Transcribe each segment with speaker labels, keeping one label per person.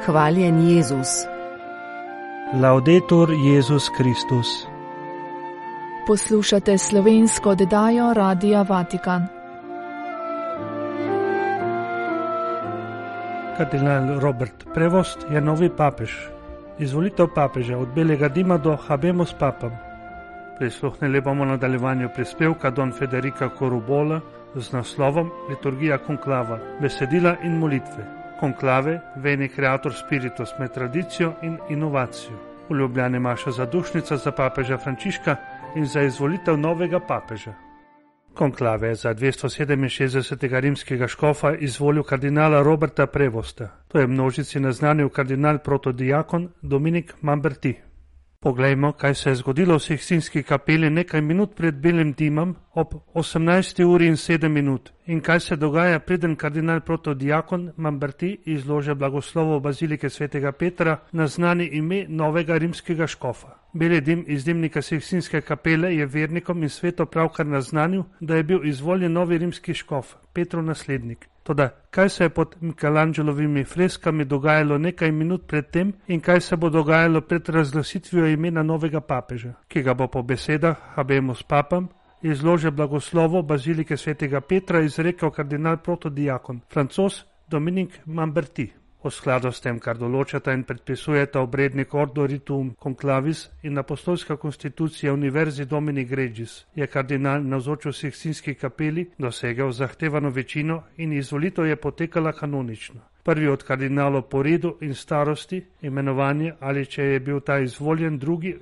Speaker 1: Hvaljen Jezus.
Speaker 2: Laudetur Jezus Kristus.
Speaker 3: Poslušate slovensko oddajo Radia Vatikan.
Speaker 2: Kardinal Robert Prevost je novi papež. Izvolitev papeža od belega dima do habemus papam. Prisluhnili bomo nadaljevanju prispevka Don Federica Corubola z naslovom Liturgija konklava, besedila in molitve. Konklave, veni creator spiritus med tradicijo in inovacijo. V Ljubljani maša zadušnica za papeža Frančiška in za izvolitev novega papeža. Konklave za 267. rimskega škofa izvolil kardinala Roberta Prevosta. To je množici naznanil kardinal protodiakon Dominik Mamberti. Poglejmo, kaj se je zgodilo v Sikstinski kapeli nekaj minut pred belim dimom ob 18:07 in kaj se dogaja, preden kardinal protodiakon Mamberti izlože blagoslovo bazilike svetega Petra na znani ime novega rimskega škofa. Beli dim iz dimnika Sikstinske kapele je vernikom in svetu pravkar naznanil, da je bil izvoljen novi rimski škof, Petrov naslednik. Toda, kaj se je pod Michelangelovimi freskami dogajalo nekaj minut pred tem in kaj se bo dogajalo pred razglasitvijo imena novega papeža, ki ga bo po besedah habemus papam izlože blagoslovo bazilike svetega Petra izrekel kardinal protodiakon, Francoz Dominik Mamberti. V skladu s tem, kar določata in predpisujeta obrednik Ordo Rituum Conclavis in apostolska konstitucija Univerzi Domini Gregis, je kardinal navzoč v Sikstinski kapeli dosegel zahtevano večino in izvolitev je potekala kanonično. Prvi od kardinalov po redu in starosti, imenovanje ali če je bil ta izvoljen, drugi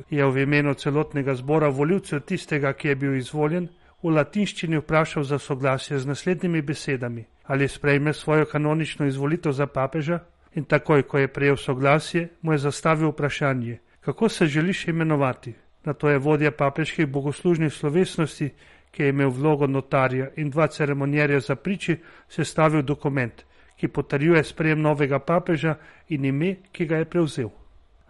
Speaker 2: je v imenu celotnega zbora volivcev tistega, ki je bil izvoljen, v latinščini vprašal za soglasje z naslednjimi besedami: ali sprejme svojo kanonično izvolitev za papeža? In takoj, ko je prejel soglasje, mu je zastavil vprašanje: kako se želiš imenovati? Nato je vodja papeških bogoslužnih slovesnosti, ki je imel vlogo notarja in dva ceremonjerja za priči, sestavil dokument, ki potrjuje sprejem novega papeža in ime, ki ga je prevzel.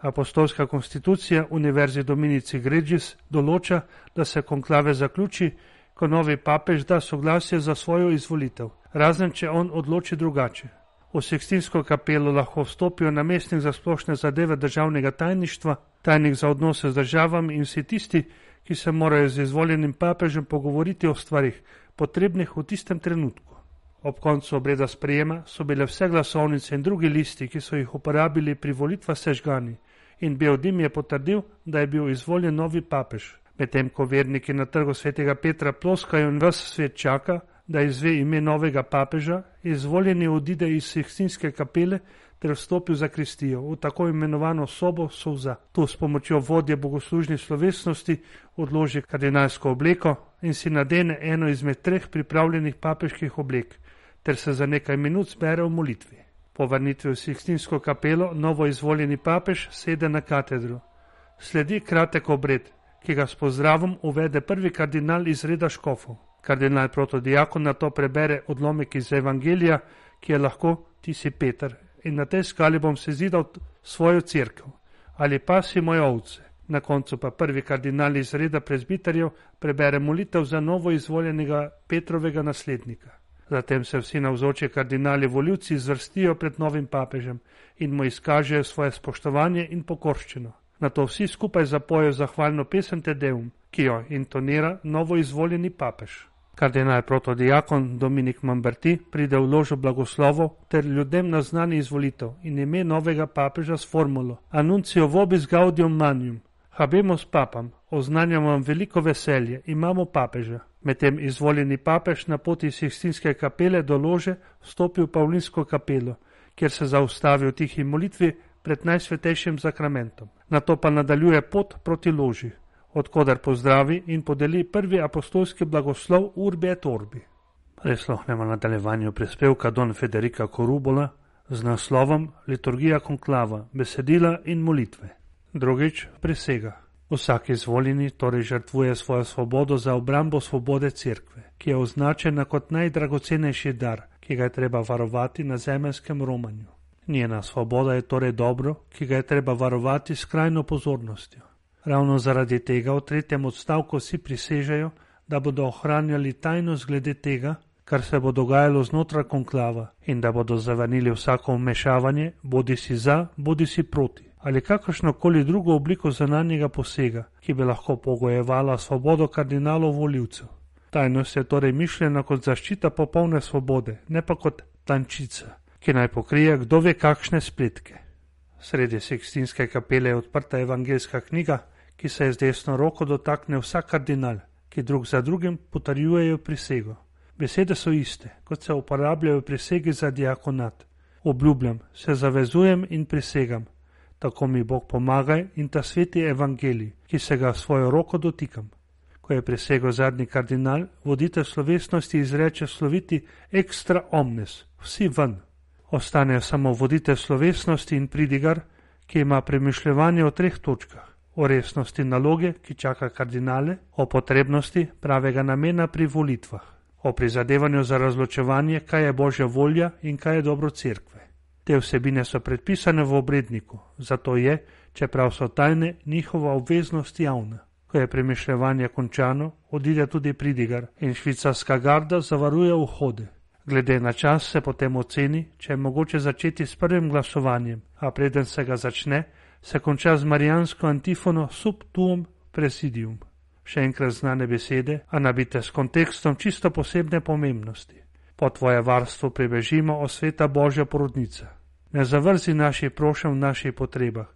Speaker 2: Apostolska konstitucija Univerzi Dominici Gregis določa, da se konklave zaključi, ko novi papež da soglasje za svojo izvolitev, razen če on odloči drugače. V Sikstinsko kapelo lahko vstopijo namestnik za splošne zadeve državnega tajništva, tajnik za odnose z državami in vsi tisti, ki se morajo z izvoljenim papežem pogovoriti o stvarih, potrebnih v tistem trenutku. Ob koncu obreda sprejema so bile vse glasovnice in drugi listi, ki so jih uporabili pri volitvah, sežgani, in bel dim je potrdil, da je bil izvoljen novi papež. Medtem ko verniki na trgu svetega Petra ploskajo in ves svet čaka, da izve ime novega papeža, izvoljeni odide iz Sikstinske kapele ter vstopi v zakristijo, v tako imenovano sobo solza. Tu s pomočjo vodje bogoslužnih slovesnosti odloži kardinalsko obleko in si nadene eno izmed treh pripravljenih papeških oblek, ter se za nekaj minut zbere v molitvi. Po vrnitvi v Sikstinsko kapelo novo izvoljeni papež sede na katedro. Sledi kratek obred, ki ga s pozdravom uvede prvi kardinal iz reda škofov. Kardinal protodiakon na to prebere odlomek iz Evangelija, ki je lahko: ti si Peter, in na tej skali bom sezidal svojo cerkev, ali pasi moje ovce. Na koncu pa prvi kardinal iz reda prezbiterjev prebere molitev za novo izvoljenega Petrovega naslednika. Zatem se vsi navzoči kardinali volivci zvrstijo pred novim papežem in mu izkažejo svoje spoštovanje in pokorščino. Nato vsi skupaj zapojejo zahvalno pesem Te Deum, ki jo intonira novo izvoljeni papež. Kardinal protodiakon Dominik Mamberti pride v ložo blagoslovov ter ljudem naznani izvolitev in ime novega papeža s formulo Annuncio vobis gaudium manium, habemus papam, oznanjam vam veliko veselje, imamo papeža. Medtem izvoljeni papež na poti iz Sikstinske kapele do lože vstopi v Pavlinsko kapelo, kjer se zaustavi v tihi molitvi pred najsvetejšim zakramentom. Nato pa nadaljuje pot proti loži, odkoder pozdravi in podeli prvi apostolski blagoslov Urbi et Orbi. Prisluhnemo nadaljevanju prispevka Don Federica Corubola z naslovom Liturgija konklava, besedila in molitve. Drugič, prisega. Vsak izvoljeni torej žrtvuje svojo svobodo za obrambo svobode cerkve, ki je označena kot najdragocenejši dar, ki ga je treba varovati na zemeljskem romanju. Njena svoboda je torej dobro, ki ga je treba varovati s skrajno pozornostjo. Ravno zaradi tega v 3. odstavku vsi prisežejo, da bodo ohranjali tajnost glede tega, kar se bo dogajalo znotraj konklava in da bodo zavrnili vsako vmešavanje, bodi si za, bodi si proti, ali kakršnokoli drugo obliko zunanjega posega, ki bi lahko pogojevala svobodo kardinalov volivcev. Tajnost je torej mišljena kot zaščita popolne svobode, ne pa kot tančica, ki naj pokrije kdo ve kakšne spletke. Sredi Sikstinske kapele je odprta evangeljska knjiga, ki se z desno roko dotakne vsak kardinal, ki drug za drugim potrjujejo prisego. Besede so iste, kot se uporabljajo prisegi za diakonat. Obljubljam, se zavezujem in prisegam, tako mi Bog pomagaj in ta sveti evangelij, ki se ga svojo roko dotikam. Ko je prisegel zadnji kardinal, voditelj slovesnosti izreče sloviti extra omnes, vsi ven. Ostanejo samo voditelj slovesnosti in pridigar, ki ima premišljevanje o 3 točkah. O resnosti naloge, ki čaka kardinale, o potrebnosti pravega namena pri volitvah, o prizadevanju za razločevanje, kaj je Božja volja in kaj je dobro cerkve. Te vsebine so predpisane v obredniku, zato je, čeprav so tajne, njihova obveznost javna. Ko je premišljevanje končano, odide tudi pridigar in švicarska garda zavaruje vhode. Glede na čas se potem oceni, če je mogoče začeti s prvim glasovanjem, a preden se ga začne, se konča z marijansko antifono sub tuum presidium. Še enkrat znane besede, a nabite s kontekstom čisto posebne pomembnosti. Po tvoje varstvo pribežimo, o sveta Božja porodnica. Ne zavrzi naših prošenj v naših potrebah,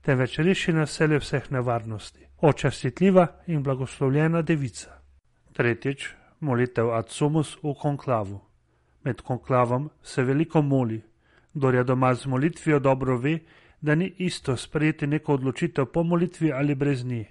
Speaker 2: temveč reši nas vseh nevarnosti. O častitljiva in blagoslovljena devica. 3. Molitev ad sumus v konklavu. Med konklavom se veliko moli. Kdor je doma z molitvijo, dobro ve, da ni isto sprejeti neko odločitev po molitvi ali brez nje.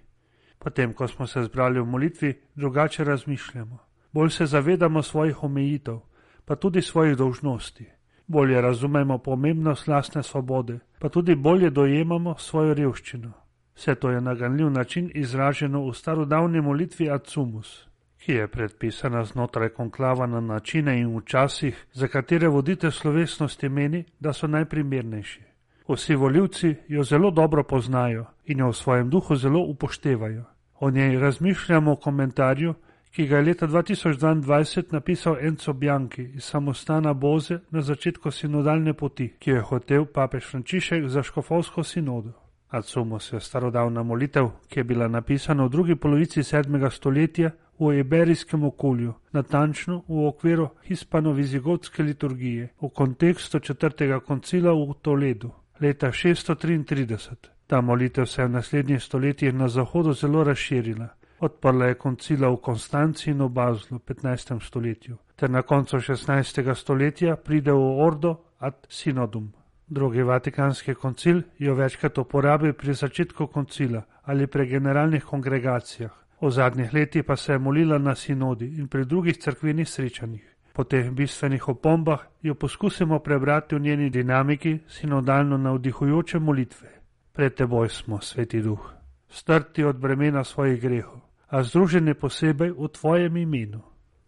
Speaker 2: Potem, ko smo se zbrali v molitvi, drugače razmišljamo. Bolj se zavedamo svojih omejitev, pa tudi svojih dolžnosti. Bolje razumemo pomembnost lastne svobode, pa tudi bolje dojemamo svojo revščino. Vse to je na ganljiv način izraženo v starodavni molitvi ad sumus, ki je predpisana znotraj konklava na načine in v časih, za katere voditelj slovesnosti meni, da so najprimernejši. Vsi volivci jo zelo dobro poznajo in jo v svojem duhu zelo upoštevajo. O njej razmišljamo v komentarju, ki ga je leta 2022 napisal Enzo Bianchi iz samostana Boze na začetku sinodalne poti, ki jo je hotel papež Frančišek za škofovsko sinodo. Ad sumus je starodavna molitev, ki je bila napisana v drugi polovici 7. stoletja v iberijskem okolju, natančno v okviru hispano-vizigotske liturgije, v kontekstu 4. koncila v Toledu, leta 633. Ta molitev se je v naslednjih stoletjih na zahodu zelo razširila. Odprla je koncila v Konstanci in v Bazlu v 15. stoletju, ter na koncu 16. stoletja pride v Ordo ad Synodum. Drugi vatikanski koncil jo večkrat uporabil pri začetku koncila ali pri generalnih kongregacijah. V zadnjih letih pa se je molila na sinodi in pri drugih cerkvenih srečanjih. Po teh bistvenih opombah jo poskusimo prebrati v njeni dinamiki sinodalno navdihujoče molitve. Pred teboj smo, Sveti Duh, strti od bremena svojih grehov, a združeni posebej v tvojem imenu.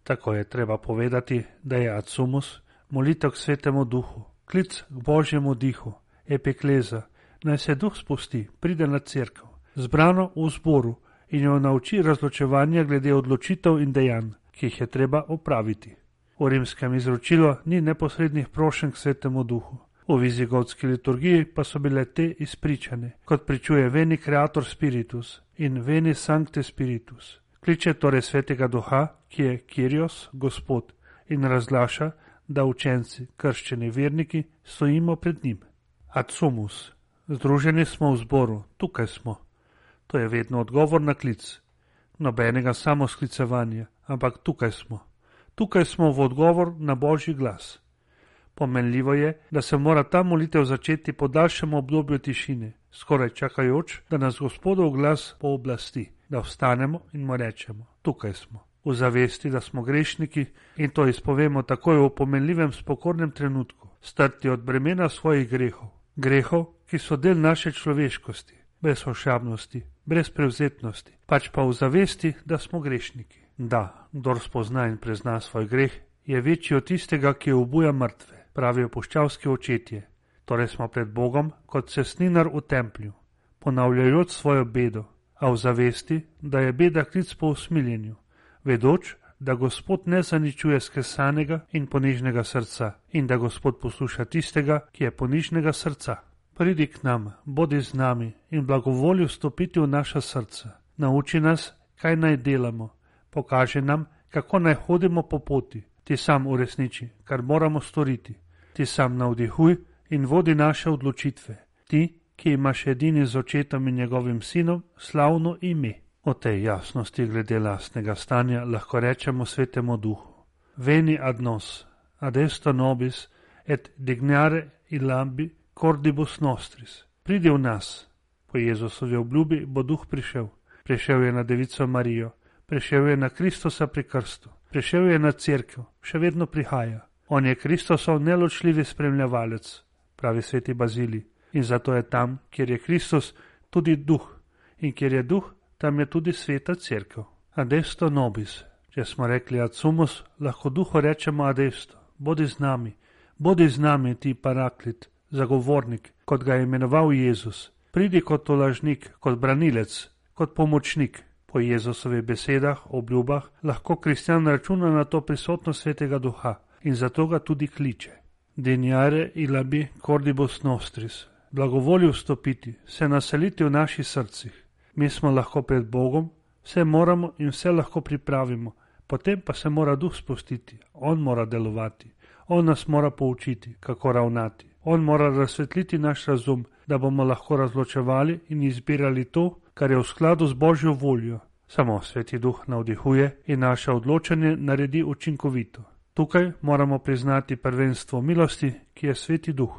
Speaker 2: Tako je treba povedati, da je ad sumus molitev k Svetemu Duhu, klic k Božjemu dihu, epikleza, naj se Duh spusti, pride na cerkev, zbrano v zboru in jo nauči razločevanja glede odločitev in dejanj, ki jih je treba opraviti. V rimskem izročilu ni neposrednih prošenj k Svetemu Duhu. V vizigotski liturgiji pa so bile te izpričane, kot pričuje Veni Creator Spiritus in Veni Sancte Spiritus. Kliče torej Svetega Duha, ki je Kyrios, Gospod, in razglaša, da učenci, krščeni verniki, stojimo pred njim. Ad sumus, združeni smo v zboru, tukaj smo. To je vedno odgovor na klic. Nobenega samosklicevanja, ampak tukaj smo. Tukaj smo v odgovor na Božji glas. Pomenljivo je, da se mora ta molitev začeti po daljšem obdobju tišine, skoraj čakajoč, da nas Gospodov glas pooblasti, da vstanemo in mu rečemo, tukaj smo, v zavesti, da smo grešniki in to izpovemo takoj v pomenljivem spokornem trenutku, strti od bremena svojih grehov, grehov, ki so del naše človeškosti, brez ošabnosti, brez prevzetnosti, pač pa v zavesti, da smo grešniki. Da, kdor spozna in prezna svoj greh, je večji od tistega, ki obuja mrtve, pravijo puščavski očetje. Torej smo pred Bogom kot cestninar v templju, ponavljajoč svojo bedo, a v zavesti, da je beda klic po usmiljenju, vedoč, da Gospod ne zaničuje skesanega in ponižnega srca in da Gospod posluša tistega, ki je ponižnega srca. Pridi k nam, bodi z nami in blagovolju vstopiti v naša srca. Nauči nas, kaj naj delamo. Pokaži nam, kako naj hodimo po poti. Ti sam uresniči, kar moramo storiti. Ti sam navdihuj in vodi naše odločitve. Ti, ki imaš edini z očetom in njegovim sinom slavno ime. O tej jasnosti glede lastnega stanja lahko rečemo Svetemu Duhu. Veni ad nos, ad esto nobis, et dignare ilambi cordibus nostris. Pridi v nas. Po Jezusovi obljubi bo Duh prišel. Prišel je na Devico Marijo, prišel je na Kristusa pri krstu, prišel je na cerkev, še vedno prihaja. On je Kristusov neločljivi spremljevalec, pravi sveti Bazilij, in zato je tam, kjer je Kristus, tudi Duh, in kjer je Duh, tam je tudi sveta cerkev. Adesto nobis, če smo rekli ad sumus, lahko Duhu rečemo adesto, bodi z nami ti paraklit, zagovornik, kot ga je imenoval Jezus. Pridi kot tolažnik, kot branilec, kot pomočnik. Po Jezusovi besedah, obljubah, lahko kristjan računa na to prisotnost Svetega Duha in zato ga tudi kliče. Dignare ilambi cordibus nostris. Blagovolju vstopiti, se naseliti v naših srcih. Mi smo lahko pred Bogom, vse moramo in vse lahko pripravimo, potem pa se mora Duh spustiti, on mora delovati, on nas mora poučiti, kako ravnati. On mora razsvetliti naš razum, da bomo lahko razločevali in izbirali to, kar je v skladu z Božjo voljo. Samo Sveti Duh navdihuje in naše odločanje naredi učinkovito. Tukaj moramo priznati prvenstvo milosti, ki je Sveti Duh.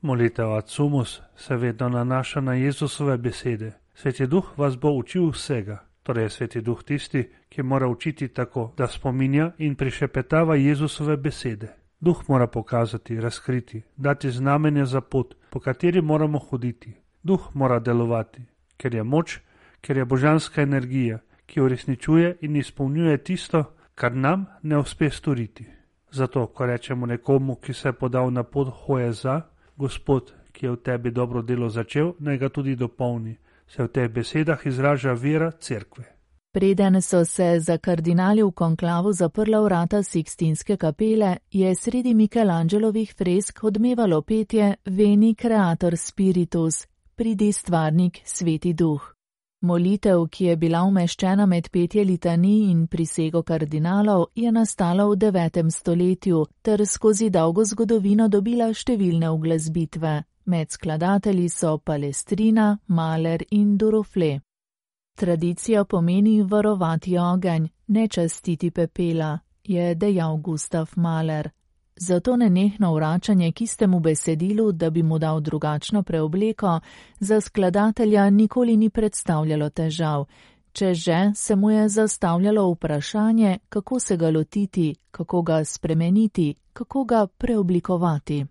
Speaker 2: Molitev ad sumus se vedno nanaša na Jezusove besede. Sveti Duh vas bo učil vsega. Torej je Sveti Duh tisti, ki mora učiti tako, da spominja in prišepetava Jezusove besede. Duh mora pokazati, razkriti, dati znamenje za pot, po kateri moramo hoditi. Duh mora delovati, ker je moč, ker je božanska energija, ki uresničuje in izpolnjuje tisto, kar nam ne uspe storiti. Zato, ko rečemo nekomu, ki se je podal na pot hoje za, Gospod, ki je v tebi dobro delo začel, naj ga tudi dopolni, se v teh besedah izraža vera cerkve.
Speaker 3: Preden so se za kardinali v konklavu zaprla vrata Sikstinske kapele, je sredi Michelangelovih fresk odmevalo petje Veni Creator Spiritus, pridi stvarnik Sveti Duh. Molitev, ki je bila umeščena med petje litanij in prisego kardinalov, je nastala v 9. stoletju ter skozi dolgo zgodovino dobila številne uglasbitve. Med skladatelji so Palestrina, Mahler in Duruflé. Tradicija pomeni varovati ogenj, ne častiti pepela, je dejal Gustav Mahler. Zato nenehno vračanje k istemu besedilu, da bi mu dal drugačno preobleko, za skladatelja nikoli ni predstavljalo težav. Če že, se mu je zastavljalo vprašanje, kako se ga lotiti, kako ga spremeniti, kako ga preoblikovati.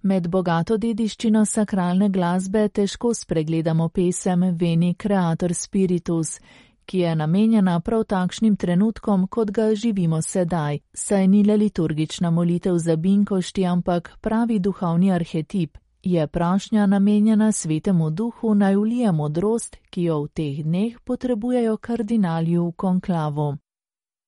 Speaker 3: Med bogato dediščino sakralne glasbe težko spregledamo pesem Veni Creator Spiritus, ki je namenjena prav takšnim trenutkom, kot ga živimo sedaj, saj ni le liturgična molitev za binkošti, ampak pravi duhovni arhetip, je prošnja namenjena Svetemu Duhu naj vlije modrost, ki jo v teh dneh potrebujejo kardinali v konklavu.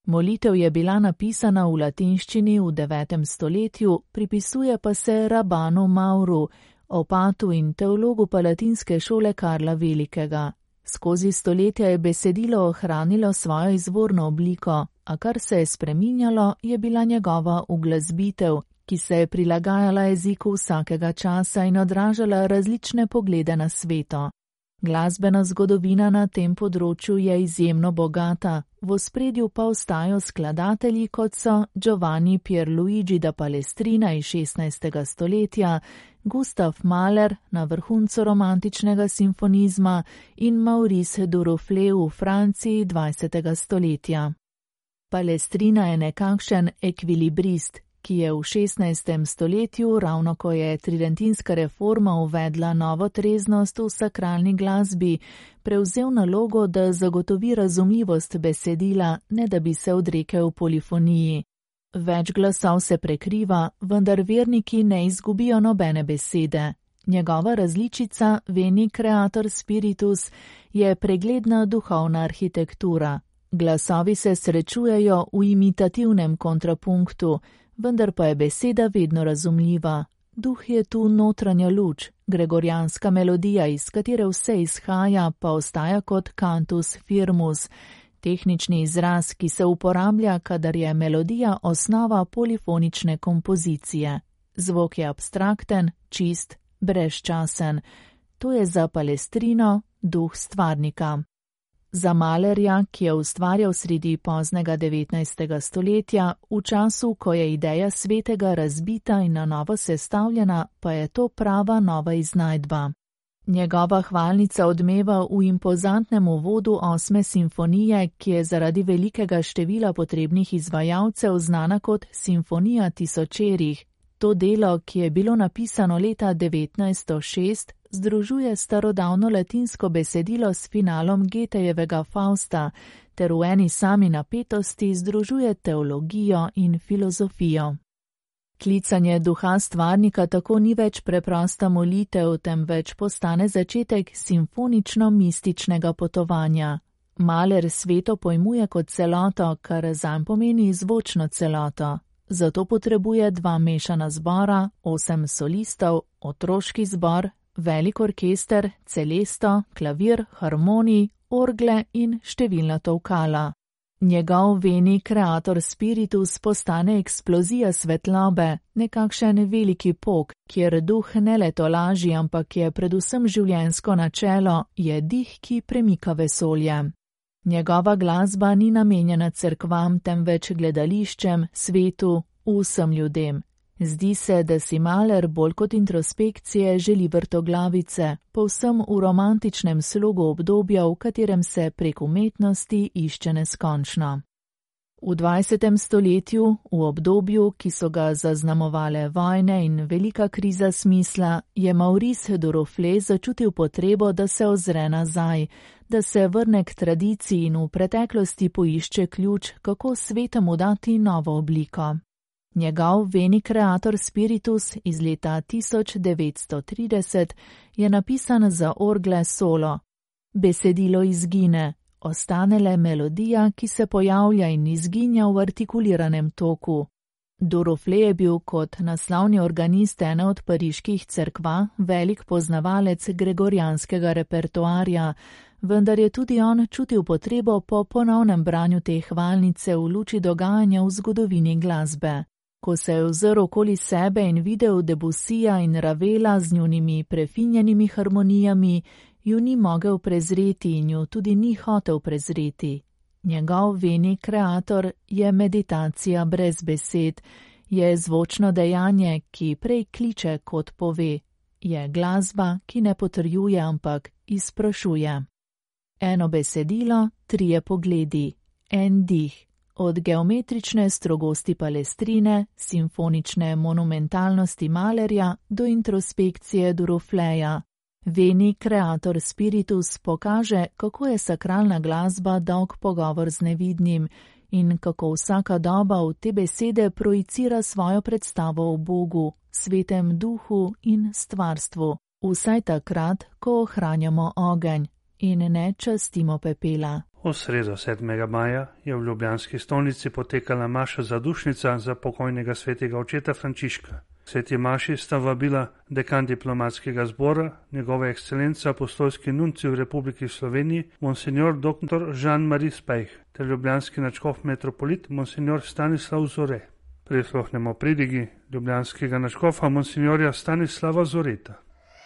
Speaker 3: Molitev je bila napisana v latinščini v 9. stoletju, pripisuje pa se Rabanu Mauru, opatu in teologu palatinske šole Karla Velikega. Skozi stoletja je besedilo ohranilo svojo izvorno obliko, a kar se je spreminjalo, je bila njegova uglasbitev, ki se je prilagajala jeziku vsakega časa in odražala različne poglede na sveto. Glasbena zgodovina na tem področju je izjemno bogata, v ospredju pa ostajajo skladatelji, kot so Giovanni Pierluigi da Palestrina iz 16. stoletja, Gustav Mahler na vrhuncu romantičnega simfonizma in Maurice Duruflé v Franciji 20. stoletja. Palestrina je nekakšen ekvilibrist, ki je v 16. stoletju, ravno ko je tridentinska reforma uvedla novo treznost v sakralni glasbi, prevzel nalogo, da zagotovi razumljivost besedila, ne da bi se odrekel polifoniji. Več glasov se prekriva, vendar verniki ne izgubijo nobene besede. Njegova različica Veni Creator Spiritus je pregledna duhovna arhitektura. Glasovi se srečujejo v imitativnem kontrapunktu, vendar pa je beseda vedno razumljiva. Duh je tu notranja luč, gregorijanska melodija, iz katere vse izhaja, pa ostaja kot cantus firmus, tehnični izraz, ki se uporablja, kadar je melodija osnova polifonične kompozicije. Zvok je abstrakten, čist, brezčasen. To je za Palestrino duh stvarnika. Za Mahlerja, ki je ustvarjal sredi poznega 19. stoletja, v času, ko je ideja svetega razbita in na novo sestavljena, pa je to prava nova iznajdba. Njegova hvalnica odmeva v impozantnem uvodu 8. simfonije, ki je zaradi velikega števila potrebnih izvajalcev znana kot Simfonija tisočerih. To delo, ki je bilo napisano leta 1906, združuje starodavno latinsko besedilo s finalom Goethejevega Fausta, ter v eni sami napetosti združuje teologijo in filozofijo. Klicanje duha stvarnika tako ni več preprosta molitev, temveč postane začetek simfonično-mističnega potovanja. Mahler sveto pojmuje kot celoto, kar zanj pomeni zvočno celoto. Zato potrebuje 2 mešana zbora, 8 solistov, otroški zbor, velik orkester, celesto, klavir, harmonij, orgle in številna tolkala. Njegov veni creator spiritus postane eksplozija svetlobe, nekakšen veliki pok, kjer duh ne le tolaži, ampak je predvsem življenjsko načelo, je dih, ki premika vesolje. Njegova glasba ni namenjena cerkvam, temveč gledališčem, svetu, vsem ljudem. Zdi se, da si Mahler bolj kot introspekcije želi vrtoglavice, povsem v romantičnem slogu obdobja, v katerem se prek umetnosti išče neskončno. V 20. stoletju, v obdobju, ki so ga zaznamovale vojne in velika kriza smisla, je Maurice Duruflé začutil potrebo, da se ozre nazaj, da se vrne k tradiciji in v preteklosti poišče ključ, kako svetemu dati novo obliko. Njegov veni creator spiritus iz leta 1930 je napisan za orgle solo. Besedilo izgine, ostane le melodija, ki se pojavlja in izginja v artikuliranem toku. Duruflé je bil kot naslovni organist ene od pariških cerkva velik poznavalec gregorijanskega repertoarja, vendar je tudi on čutil potrebo po ponovnem branju te hvalnice v luči dogajanja v zgodovini glasbe. Ko se je ozrl okoli sebe in videl Debussija in Ravela z njunimi prefinjenimi harmonijami, ju ni mogel prezreti in ju tudi ni hotel prezreti. Njegov veni creator je meditacija brez besed, je zvočno dejanje, ki prej kliče kot pove, je glasba, ki ne potrjuje, ampak izprašuje. Eno besedilo, 3 pogledi, en dih. Od geometrične strogosti Palestrine, simfonične monumentalnosti Mahlerja do introspekcije Durufléja. Veni creator spiritus pokaže, kako je sakralna glasba dolg pogovor z nevidnim in kako vsaka doba v te besede projicira svojo predstavo o Bogu, svetem duhu in stvarstvu, vsaj takrat, ko ohranjamo ogenj in ne častimo pepela.
Speaker 2: V sredo 7. maja je v ljubljanski stolnici potekala maša zadušnica za pokojnega svetega očeta Frančiška. Sveti maši sta vabila dekan diplomatskega zbora, njegova ekscelenca apostolski nuncij v Republiki Sloveniji, monsignor dr. Jean-Marie Spejh, ter ljubljanski nadškof metropolit, monsignor Stanislav Zore. Prisluhnemo pridigi ljubljanskega nadškofa, monsignorja Stanislava Zoreta.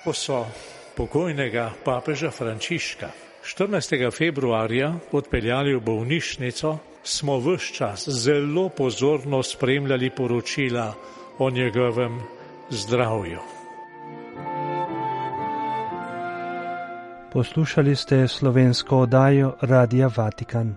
Speaker 1: Ko so pokojnega papeža Frančiška 14. februarja odpeljali v bolnišnico, smo ves čas zelo pozorno spremljali poročila o njegovem zdravju.
Speaker 2: Poslušali ste slovensko oddajo Radia Vatikan.